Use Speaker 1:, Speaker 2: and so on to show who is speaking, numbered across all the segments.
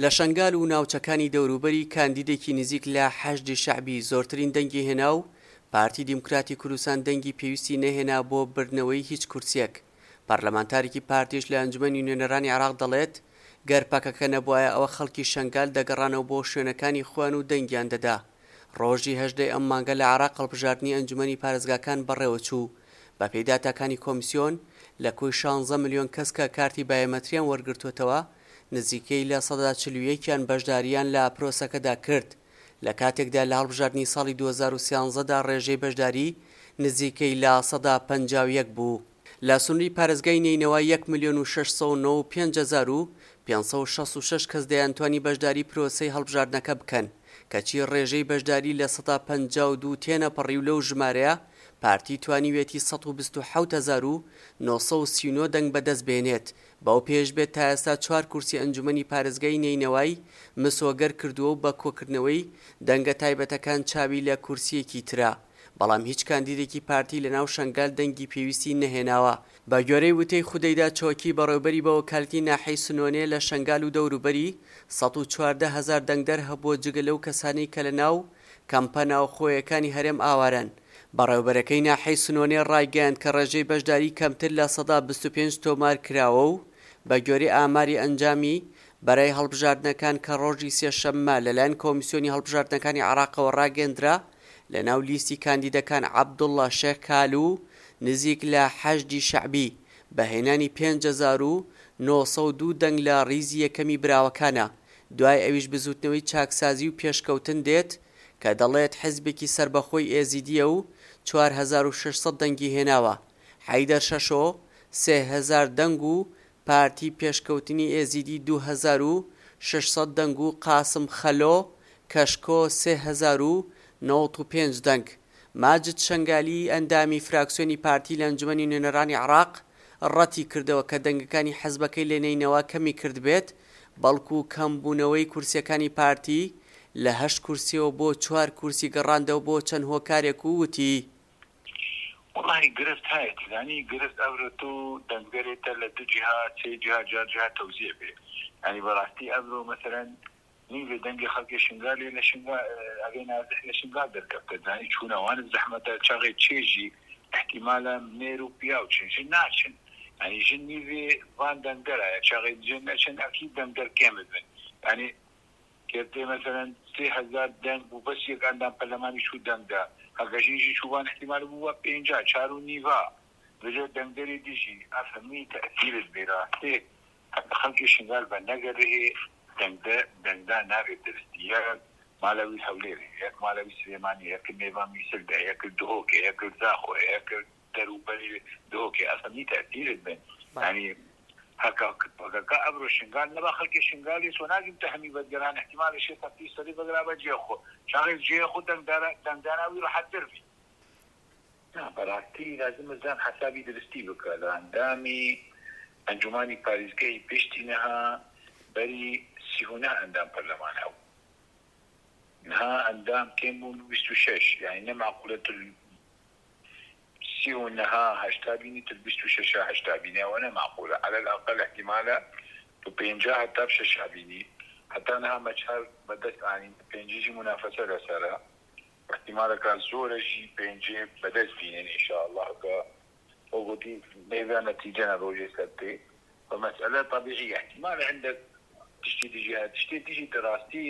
Speaker 1: لە شەنگال و ناوچەکانی دەوروبەری کاندیدێکی نزیک لە حەشدی شەعبی زۆرترین دەنگی هێنا و پارتی دیموکراتی کوردستان دەنگی پێویستی نەهێنا بۆ بردنەوەی هیچ کورسیەک. پەرلەمانتارێکی پارتیش لە ئەنجومەنی نوێنەرانی عێراق دەڵێت، گەر پەکەکە نەبوایە ئەوە خەڵکی شەنگال دەگەڕانەوە بۆ شوێنەکانی خۆیان و دەنگیان دەدا. ڕۆژی 18 ی ئەم مانگە لە عێراق هەڵبژاردنی ئەنجومەنی پارێزگاکان بەڕێوەچوو. بەپێی داتاکانی کۆمیسیۆن، لە کۆی شانزە ملیۆن کەس کە کارتی بایۆمەتریان وەرگرتووەتەوە، نزیکەی 41% یان بەشدارییان لە پرۆسەکەدا کرد، لە کاتێکدا لە هەڵبژاردنی ساڵی 2013 دا ڕێژەی بەشداری نزیکەی 51% بوو. لە سنووری پارێزگای نەینەوا یەک ملیۆن و 695 566 کەس دەیانتوانی بەشداری پرۆسەی هەڵبژاردنەکە بکەن، کەچی ڕێژەی بەشداری 52% تێنەپەڕی و لەو ژمارەیە پارتی توانیویەتی 127 939 دەنگ بەدەست بێنێت، بەو پێیەش بێت تا ئێستا چوار کورسی ئەنجومەنی پارێزگای نەینەوای مسۆگەر کردووە و بە کۆکردنەوەی دەنگە تایبەتەکان چاوی لە کورسییەکی ترە، بەڵام هیچ کاندیدێکی پارتی لەناو شەنگال دەنگی پێویستی نەهێناوە. بە گوێرەی وتەی خودەیدا چۆکی، بەڕێوبەری بەوەکالەتی ناحیەی سنۆنێ لە شەنگال و دەوروبەری، 114 هەزار دەنگدەر هەبووە جگە لەو کەسانەی کە لەناو کەمپە ناوخۆیەکانی هەرێم ئاوارەن. بەڕێوبەرەکەی ناحیەی سنۆنێ ڕایگەیاند کە ڕێژەی بەشداری کەمتر 25% تۆمار کراوە و بە گوێرەی ئاماری ئەنجامی بەرای هەڵبژاردنەکان کە ڕۆژی سێشەممە لەلایەن کۆمیسیۆنی هەڵبژاردنەکانی عێراقەوە ڕاگەندرا، لەناو لیستی کاندیدەکان عەبدوڵڵا شێخ کالو نزیک لە حەشدی شەعبی بە هێنانی 5902 دەنگ لە ڕیزی یەکەمی براوەکانە، دوای ئەویش بزوتنەوەی چاکسازی و پێشکەوتن دێت کە دەڵێت حزبێکی سەربەخۆی ئێزیدییە و 4600 دەنگی هێناوە، حەیدەر شەشۆ 3000 دەنگ و پارتی پێشکەوتنی ئێزیدی 2600 دەنگ و قاسم خەلۆ کەشکۆ 3095 دەنگ. ماجد شەنگالی ئەندامی فراکسیۆنی پارتی لە ئەنجومەنی نوێنەرانی عێراق ڕەتی کردەوە کە دەنگەکانی حزبەکەی لە نەینەوا کەمی کردبێت، بەڵکو کەمبوونەوەی کورسیەکانی پارتی لە هەشت کورسیەوە بۆ چوار کورسی گەڕاندەوە بۆ چەند هۆکارێک و وتی.
Speaker 2: وەڵاهی گرفت هەیە تزانی گرفت ئەڤرۆ تو دەنگدەرێ تە لە دو جیها سێ جیها جار جیها تەوزیع بێ یانی بەراستی ئەڤرۆ مەسەلەن نیڤێ دەنگێ خەلکێ شنگالێ لە شنگا ئەڤێ نازح لە شنگال دەرکەفتە تزانی چوونە وانت زەحمەتە چاغێ چێ ژی ئیحتیمالە مێر و پیاو چن ژن ناچن یانی ژن نیڤێ ڤان دەنگدەرایە چاغێ ژن نەچن ئەکید دەنگدەر کێم بن یانی کێرتێ مەسەلەن 3000 دەنگ بوو بەس یەک ئەندام پەرلەمانی چوو دەنگ دا هەگە ژینژی چووبان ئیحتیمال بوو بە پێنجا چار و نیڤا ڤجە دەنگدەری دژی ئەف هەمی تەئسیرت بێ راستێ هەکە خەلکی شنگال بە نەگەرهێ دەنگدە دەنگدا نابێ درستی یەک مالە وی هەولێرێ یەک مالە وی سلێمانی یەک مێڤا میسل دە یەک دهۆکێ یەک زاخۆ یەک دەروبەری دهۆکێ ئەف هەمی تەئسیرت بن یانی هەکە پەکەکە ئەبرۆ شنگال نەبا خەلکی شنگالی سۆ ناگیم تە هەمی بەدگەران ئیحتیمالە شێ سەفتی سەری بەگرا بە جێ خۆ چاغێ جێ خو دەنگدارا دەنگدانا وی رەحەتتر بی. نا بەراستی لازمە زان حەسابی درستی بکە لە ئەندامی ئەنجومانی پاریزگەی پشتی نها بەری 39 ئەندام پەرلەمان هەبوو نها ئەندام کێم بوون 26 یانی نە مەعقولە تل سی و نها هەشتا بینی تل 26 هەشتا بینی ئەوە نە مەعقولە عەلەل ئەقەل ئیحتیمالە تو پێنجا هەتا شەشا بینی هەتا نها مەچار بەدەست ئانین پێنجیجی مونافەسە لەسەرە ئیحتیمالەکە زۆرە ژی پێنجێ بەدەست بینن ئینشائەڵا کە خۆ گوتی مێڤا نەتیجە نە ڕۆژێ سەبتێ و مەسئەلە تەبیعی ئیحتیمالە هەندەک تشتی دژی هەیە تشتێ دژی دەراستی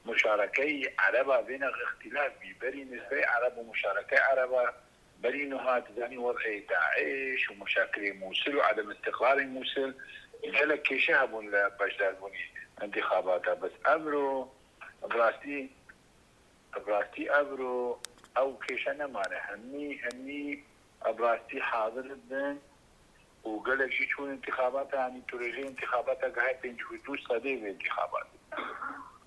Speaker 2: مشارەکەی عەرەبا بێنە ئیختیلاف بی بەری نسبەی عەرەب و مشارەکەی عەرەبا بەری نوها تزانی وەزعی داعش و مشاکلی موسل و عەدەم ئیستقراری موسل گەلەک کێشە هەبوون لە بەشداربوونی ئینتیخاباتا بەس ئەمرۆ بڕاستی ئەبراستی ئەڤرۆ ئەو کێشە نەمانە هەمی هەمی ئەبراستی حازرت بن و گەلەک ژی چوون ئینتیخاباتە یانی تورێژەی ئینتیخاباتە گەهای 52 سەدەی ڤێ ئینتیخابات.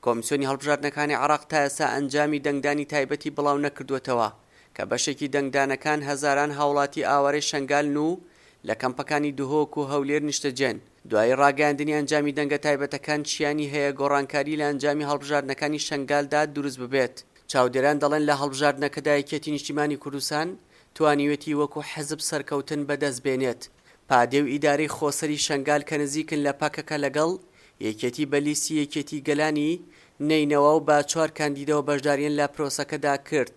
Speaker 1: کۆمیسیۆنی هەڵبژاردنەکانی عێراق تا ئێستا ئەنجامی دەنگدانی تایبەتی بڵاونەکردووەتەوە، کە بەشێکی دەنگدانەکان هەزاران هاوڵاتی ئاوارەی شەنگالن و لە کەمپەکانی دهۆک و هەولێر نیشتەجێن. دوای ڕاگەیاندنی ئەنجامی دەنگە تایبەتەکان شیانی هەیە گۆڕانکاری لە ئەنجامی هەڵبژاردنەکانی شەنگالدا دروست ببێت. چاودێران دەڵێن لە هەڵبژاردنەکەدا یەکێتی نیشتیمانی کوردستان توانیوێتی وەکو حزب سەرکەوتن بەدەست بێنێت. پادێ و ئیدارەی خۆسەری شەنگال کە نزیکن لە پەکەکە لەگەڵ. یەکێتی بە لیستی یەکێتی گەلانی نەینەوا و بە چوار کاندیدەوە بەشداریان لە پرۆسەکەدا کرد.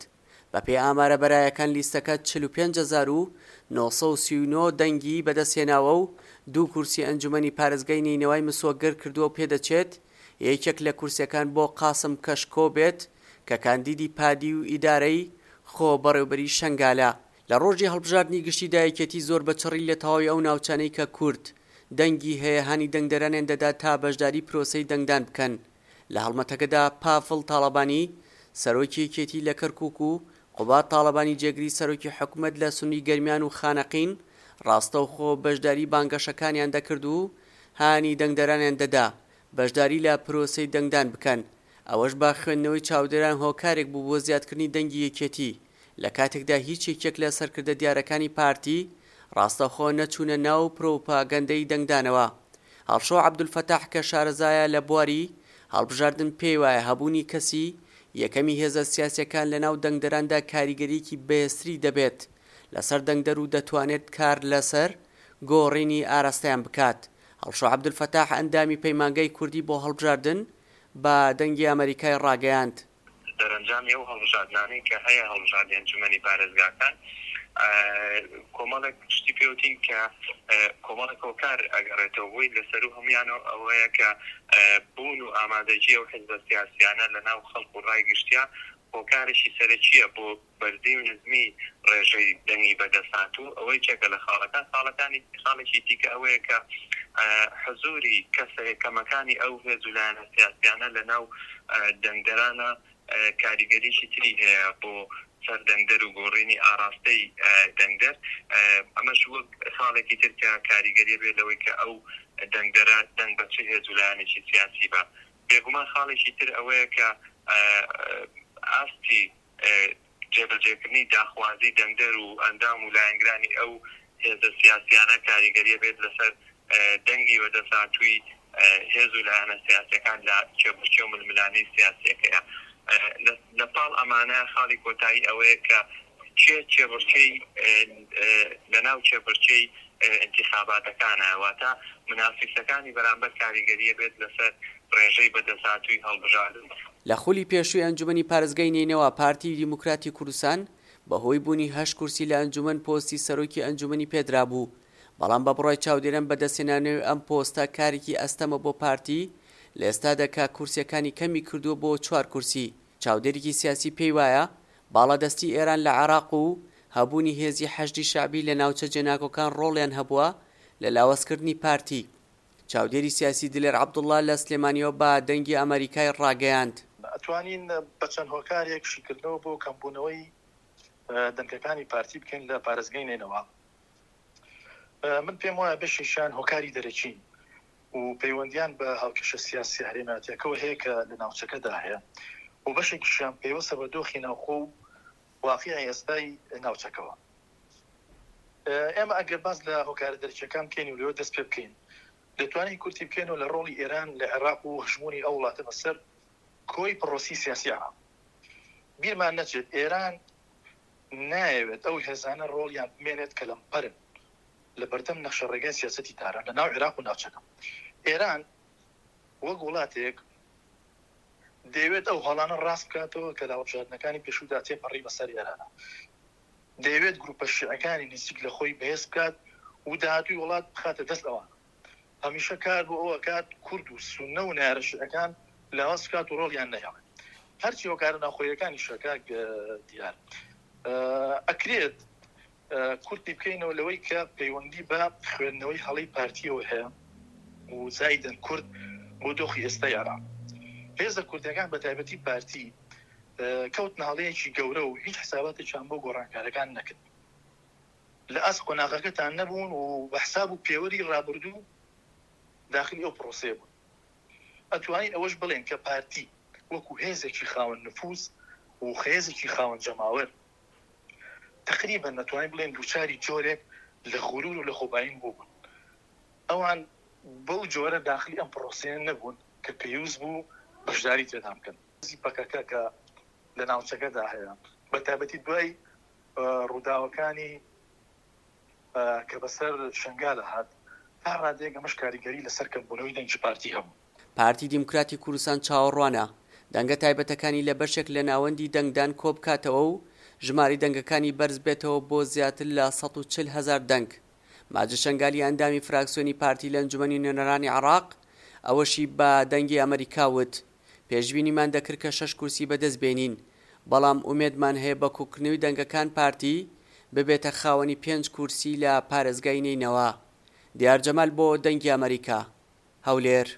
Speaker 1: بەپێی ئامارە بەرایەکان لیستەکە 45939 دەنگی بەدەستهێناوە و دوو کورسی ئەنجومەنی پارێزگای نەینەوای مسۆگەر کردووە و پێدەچێت یەکێک لە کورسیەکان بۆ قاسم کەشکۆ بێت کە کاندیدی پادی و ئیدارەی خۆبەڕێوبەری شەنگالە. لە ڕۆژی هەڵبژاردنی گشتیدا یەکێتی زۆر بە چڕی لە تەواوی ئەو ناوچانەی کە کورد دەنگی هەیە هانی دەنگدەرانیان دەدا تا بەشداری پرۆسەی دەنگدان بکەن. لە هەڵمەتەکەدا پافڵ تاڵەبانی، سەرۆکی یەکێتی لە کەرکوک و قوباد تاڵەبانی جێگری سەرۆکی حکومەت لە سنوری گەرمیان و خانەقین ڕاستەوخۆ بەشداری بانگەشەکانیان دەکرد و هانی دەنگدەرانیان دەدا بەشداری لە پرۆسەی دەنگدان بکەن، ئەوەش بە خوێندنەوەی چاودێران هۆکارێک بوو بۆ زیادکردنی دەنگی یەکێتی، لە کاتێکدا هیچ یەکێک لە سەرکردە دیارەکانی پارتی ڕاستەوخۆ نەچوونە ناو پروپاگەندەی دەنگدانەوە. هەڵشۆ عەبدولفەتاح کە شارەزایە لە بواری هەڵبژاردن پێیوایە هەبوونی کەسی یەکەمی هێزە سیاسیەکان لەناو دەنگدەراندا کاریگەریەکی بەهێزتری دەبێت لەسەر دەنگدەر و دەتوانێت کار لەسەر گۆڕینی ئاراستەیان بکات. هەڵشۆ عەبدولفەتاح ئەندامی پەیمانگای کوردی بۆ هەڵبژاردن بە دەنگی ئەمەریکای ڕاگەیاند،
Speaker 3: دەرەنجامی ئەو هەڵبژاردنانەی کە هەیە هەڵبژاردنی ئەنجومەنی پارێزگاکان کۆمەڵێک شتی پێوتین کە کۆمەڵێک هۆکار ئەگەڕێتەوە بۆی لە سەروو هەموویانەوە ئەوەیە کە بوون و ئامادەگی ئەو حزبە سیاسیانە لە ناو خەڵک و ڕای گشتیا هۆکارێکی سەرەکییە بۆ بەرزی و نزمی ڕێژەی دەنگی بەدەست هاتوو، ئەوە یەکێکە لە خاڵەکان، خاڵەکانی خاڵێکی دیکە ئەوەیە کە حزووری کەسە کەمەکانی ئەو هێز و لایەنە سیاسیانە لە ناو دەنگدەرانە کاریگەریی تری هەیە بۆ سەر دەنگدەر و گۆڕینی ئاراستەی دەنگدەر، ئەمەش وەک خاڵێکی تر کە کاریگەریە بێت لەوەی کە ئەو دەنگدەرە دەنگ بە چ هێز و لایەنێکی سیاسی با. بێگومان خاڵێکی تر ئەوەیە کە ئاستی جێبەجێکردنی داخوازی دەنگدەر و ئەندام و لایەنگرانی ئەو هێزە سیاسیانە کاریگەریە بێت لەسەر دەنگی بەدەستهاتووی هێز و لایەنە سیاسیەکان لە کێبڕکێ و ململانێی سیاسیەکەیە. لە پاڵ ئەمانە خاڵی کۆتایی ئەوەیە کە کێ کێبڕکێی لەناو کێبڕکێی ئینتیخاباتەکانە، واتە منافیسەکانی بەرامبەر کاریگەریە بێت لەسەر ڕێژەی بەدەستهاتووی هەڵبژاردن.
Speaker 1: لە خولی پێشووی ئەنجومەنی پارێزگای نەینەوا پارتی دیموکراتی کوردستان بەهۆی بوونی هەشت کورسی لە ئەنجومەن پۆستی سەرۆکی ئەنجومەنی پێدرابوو، بەڵام بە بڕوای چاودێران بەدەستهێنانەوەی ئەم پۆستە کارێکی ئەستەمە بۆ پارتی لە ئێستادا کە کورسیەکانی کەمی کردووە بۆ چوار کورسی. چاودێرێکی سیاسی پێی وایە باڵادەستی ئێران لە عێراق و هەبوونی هێزی حەشدی شەعبی لە ناوچە جێناکۆکان ڕۆڵیان هەبووە لە لاوازکردنی پارتی. چاودێری سیاسی دلێر عەبدوڵڵا لە سلێمانیەوە بە دەنگی ئەمەریکای ڕاگەیاند.
Speaker 4: ئەتوانین بە چەند هۆکارێک شیکردنەوە بۆ کەمبوونەوەی دەنگەکانی پارتی بکەین لە پارێزگای نەینەوا. من پێم وایە بەشێکیان هۆکاری دەرەکین و پەیوەندیان بە هاوکێشە سیاسیە هەرێمایەتیەکەوە هەیە کە لە ناوچەکەدا هەیە و بەشێکیشیان پەیوەستە بە دۆخی ناوخۆ و واقیعی ئێستای ناوچەکەوە. ئێمە ئەگەر باس لە هۆکارە دەرەکیەکان بکەین و لەوە دەست پێ بکەین دەتوانین کورتی بکەینەوە لە ڕۆڵی ئێران لە عێراق و هەژموونی ئەو وڵاتە بەسەر کۆی پڕۆسی سیاسی عێراق. بیرمان نەچێت ئێران نایەوێت ئەو هێزانە ڕۆڵیان بمێنێت کە لەمپەرن لە بەردەم نەخشەڕێگای سیاسەتی تاران لە ناو عێراق و ناوچەکە. ئێران وەک وڵاتێک دەیەوێت ئەو هەڵانە ڕاست بکاتەوە کە لە هەڵبژاردنەکانی پێشوودا تێپەڕی بەسەر ئێرانە. دەیەوێت گروپە شیعەکانی نزیک لە خۆی بەهێز بکات و داهاتووی وڵات بخاتە دەست ئەوان. هەمیشە کار بۆ ئەوە ئەکات کورد و سوننە و نەیارە شیعەکان لاواز بکات و ڕۆڵیان نەهێڵێت. هەرچی هۆکارە ناوخۆییەکانیشە کاک دیار ئەکرێت کورتی بکەینەوە لەوەی کە پەیوەندی بە خوێندنەوەی هەڵەی پارتیەوە هەیە و زایدن کورد بۆ دۆخی ئێستای عێراق. هێزە کوردەکان بە تایبەتی پارتی کەوتنە هەڵەیەکی گەورە و هیچ حساباتێکیان بۆ گۆڕانکارەکان نەکرد. لە ئاست قۆناغەکەتان نەبوون و بە حساب و پێوەری ڕابردوو داخلی ئەو پرۆسەیە بوون. ئەتوانین ئەوەش بڵێین کە پارتی وەکو هێزێکی خاوەن نفوز و هێزێکی خاوەن جەماوەر تەقریبەن ئەتوانین بڵێین دووچاری جۆرێک لە غرور و لەخۆبایین بووبوون. ئەوان بەو جۆرە داخلی ئەم پرۆسەیە نەبوون کە پێویست بوو بەشداری تێدا بکەن. هێزی پەکەکە کە لە ناوچەکەدا هەیە بە تایبەتی دوای ڕووداوەکانی کە بەسەر شنگالە هات تا ڕادەیەک ئەمەش کاریگەری لەسەر کەمبوونەوەی دەنگی پارتی هەبوو.
Speaker 1: پارتی دیموکراتی کوردستان چاوەڕوانە دەنگە تایبەتەکانی لە بەشێک لە ناوەندی دەنگدان کۆبکاتەوە و ژمارەی دەنگەکانی بەرزبێتەوە بۆ زیاتر لە 140 هەزار دەنگ. ماجد شەنگالی ئەندامی فراکسیۆنی پارتی لە ئەنجومەنی نوێنەرانی عێراق ئەوەشی بە دەنگی ئەمەریکا وت، پێشبینیمان دەکرد کە شەش کورسی بەدەست بێنین، بەڵام ئومێدمان هەیە بە کۆکردنەوەی دەنگەکان پارتی ببێتە خاوەنی پێنج کورسی لە پارێزگای نەینەوا. دیار جەمال بۆ دەنگی ئەمەریکا، هەولێر.